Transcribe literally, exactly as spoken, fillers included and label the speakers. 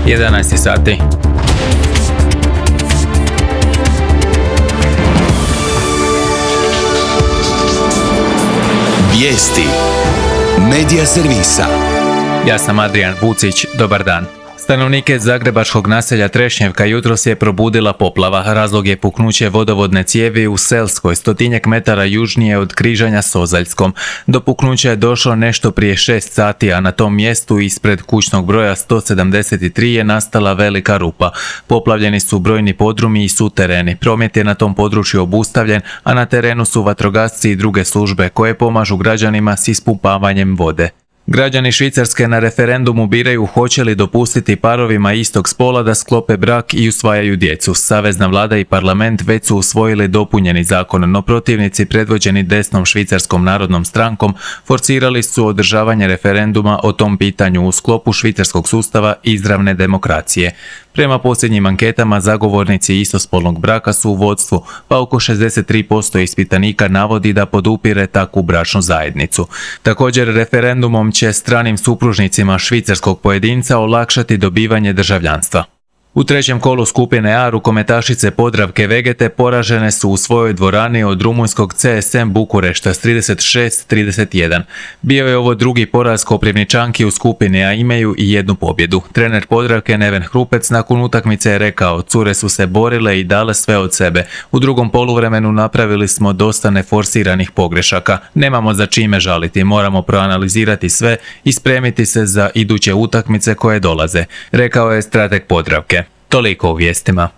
Speaker 1: jedanaest sati.
Speaker 2: Vijesti Medija servisa.
Speaker 1: Ja sam Adrijan Vucić, dobar dan. Stanovnike zagrebačkog naselja Trešnjevka jutros je probudila poplava. Razlog je puknuće vodovodne cijevi u Selskoj, stotinjak metara južnije od križanja s Ozaljskom. Do puknuća je došlo nešto prije šest sati, a na tom mjestu ispred kućnog broja sto sedamdeset tri je nastala velika rupa. Poplavljeni su brojni podrumi i sutereni. Promet je na tom području obustavljen, a na terenu su vatrogasci i druge službe koje pomažu građanima s ispumpavanjem vode. Građani Švicarske na referendumu biraju hoće li dopustiti parovima istog spola da sklope brak i usvajaju djecu. Savezna vlada i parlament već su usvojili dopunjeni zakon, no protivnici predvođeni desnom Švicarskom narodnom strankom forsirali su održavanje referenduma o tom pitanju u sklopu švicarskog sustava izravne demokracije. Prema posljednjim anketama zagovornici istospolnog braka su u vodstvu, pa oko šezdeset tri posto ispitanika navodi da podupire takvu bračnu zajednicu. Također referendumom će stranim supružnicima švicarskog pojedinca olakšati dobivanje državljanstva. U trećem kolu skupine A rukometašice Podravke Vegete poražene su u svojoj dvorani od rumunjskog C S M Bukurešta s trideset šest trideset jedan. Bio je ovo drugi poraz Koprivničanki u skupini A, imaju i jednu pobjedu. Trener Podravke Neven Hrupec nakon utakmice je rekao: cure su se borile i dale sve od sebe. U drugom poluvremenu napravili smo dosta neforsiranih pogrešaka. Nemamo za čime žaliti, moramo proanalizirati sve i spremiti se za iduće utakmice koje dolaze, rekao je strateg Podravke. Toliko u vijestima.